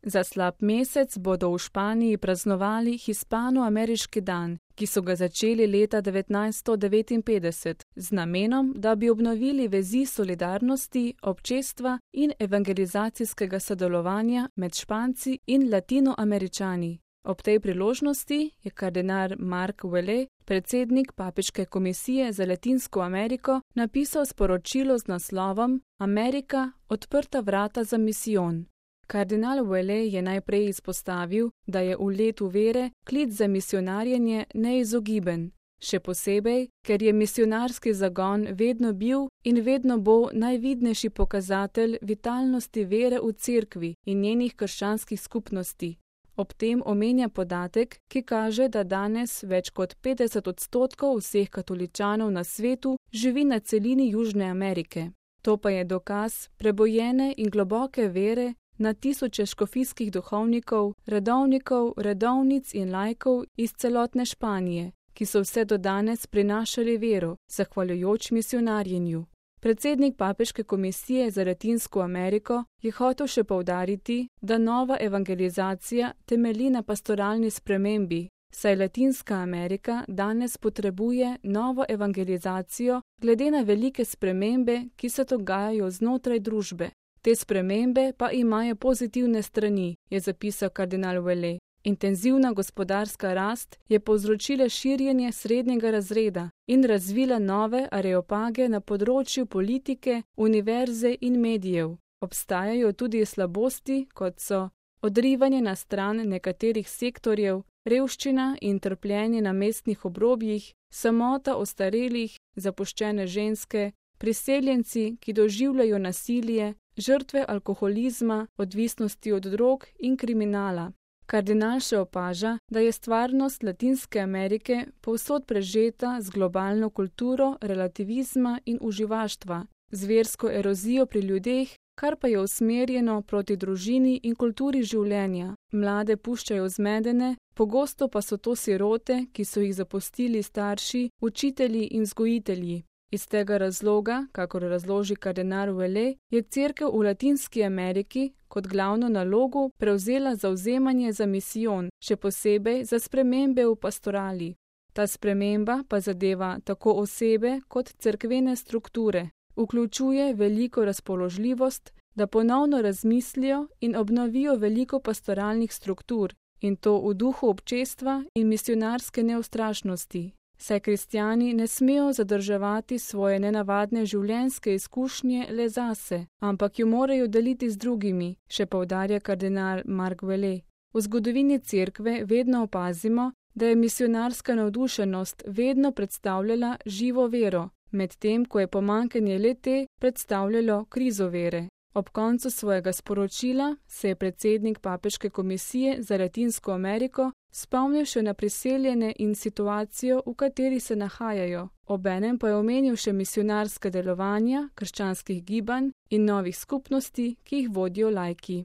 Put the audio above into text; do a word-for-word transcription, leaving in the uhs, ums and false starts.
Za slab mesec bodo v Španiji praznovali hispano-ameriški dan, ki so ga začeli leta devetnajststo devetinpetdeset, z namenom, da bi obnovili vezi solidarnosti, občestva in evangelizacijskega sodelovanja med Španci in Latinoameričani. Ob tej priložnosti je kardinal Mark Vallée, predsednik Papeške komisije za Latinsko Ameriko, napisal sporočilo z naslovom Amerika – odprta vrata za misijon. Kardinal Vallée je najprej izpostavil, da je v letu vere klic za misijonarjenje neizogiben, še posebej, ker je misijonarski zagon vedno bil in vedno bo najvidnejši pokazatelj vitalnosti vere v cerkvi in njenih krščanskih skupnosti. Ob tem omenja podatek, ki kaže, da danes več kot petdeset odstotkov vseh katoličanov na svetu živi na celini Južne Amerike. To pa je dokaz prebojene in globoke vere na tisoče škofijskih duhovnikov, redovnikov, redovnic in laikov iz celotne Španije, ki so vse do danes prinašali vero, zahvaljujoč misijonarjenju. Predsednik Papeške komisije za Latinsko Ameriko je hotel še poudariti, da nova evangelizacija temelji na pastoralni spremembi, saj Latinska Amerika danes potrebuje novo evangelizacijo glede na velike spremembe, ki se dogajajo znotraj družbe. Te spremembe pa imajo pozitivne strani, je zapisal kardinal Vallée. Intenzivna gospodarska rast je povzročila širjenje srednjega razreda in razvila nove areopage na področju politike, univerze in medijev. Obstajajo tudi slabosti, kot so odrivanje na stran nekaterih sektorjev, revščina in trpljenje na mestnih obrobjih, samota ostarelih, zapuščene ženske, priseljenci, ki doživljajo nasilje, žrtve alkoholizma, odvisnosti od drog in kriminala. Kardinal še opaža, da je stvarnost Latinske Amerike povsod prežeta z globalno kulturo relativizma in uživaštva, z versko erozijo pri ljudeh, kar pa je usmerjeno proti družini in kulturi življenja. Mlade puščajo zmedene, pogosto pa so to sirote, ki so jih zapustili starši, učitelji in vzgojitelji. Iz tega razloga, kakor razloži kardinal Vallée, je cerkev v Latinski Ameriki kot glavno nalogo prevzela zavzemanje za misijon, še posebej za spremembe v pastorali. Ta sprememba pa zadeva tako osebe kot cerkvene strukture. Vključuje veliko razpoložljivost, da ponovno razmislijo in obnovijo veliko pastoralnih struktur, in to v duhu občestva in misijonarske neustrašnosti. Saj kristjani ne smejo zadrževati svoje nenavadne življenjske izkušnje le zase, ampak jo morajo deliti z drugimi, še poudarja kardinal Mark Vallée. V zgodovini cerkve vedno opazimo, da je misijonarska navdušenost vedno predstavljala živo vero, medtem ko je pomanjkanje le-te predstavljalo krizo vere. Ob koncu svojega sporočila se je predsednik Papeške komisije za Latinsko Ameriko spomnil še na priseljene in situacijo, v kateri se nahajajo. Obenem pa je omenil še misijonarska delovanja krščanskih gibanj in novih skupnosti, ki jih vodijo laiki.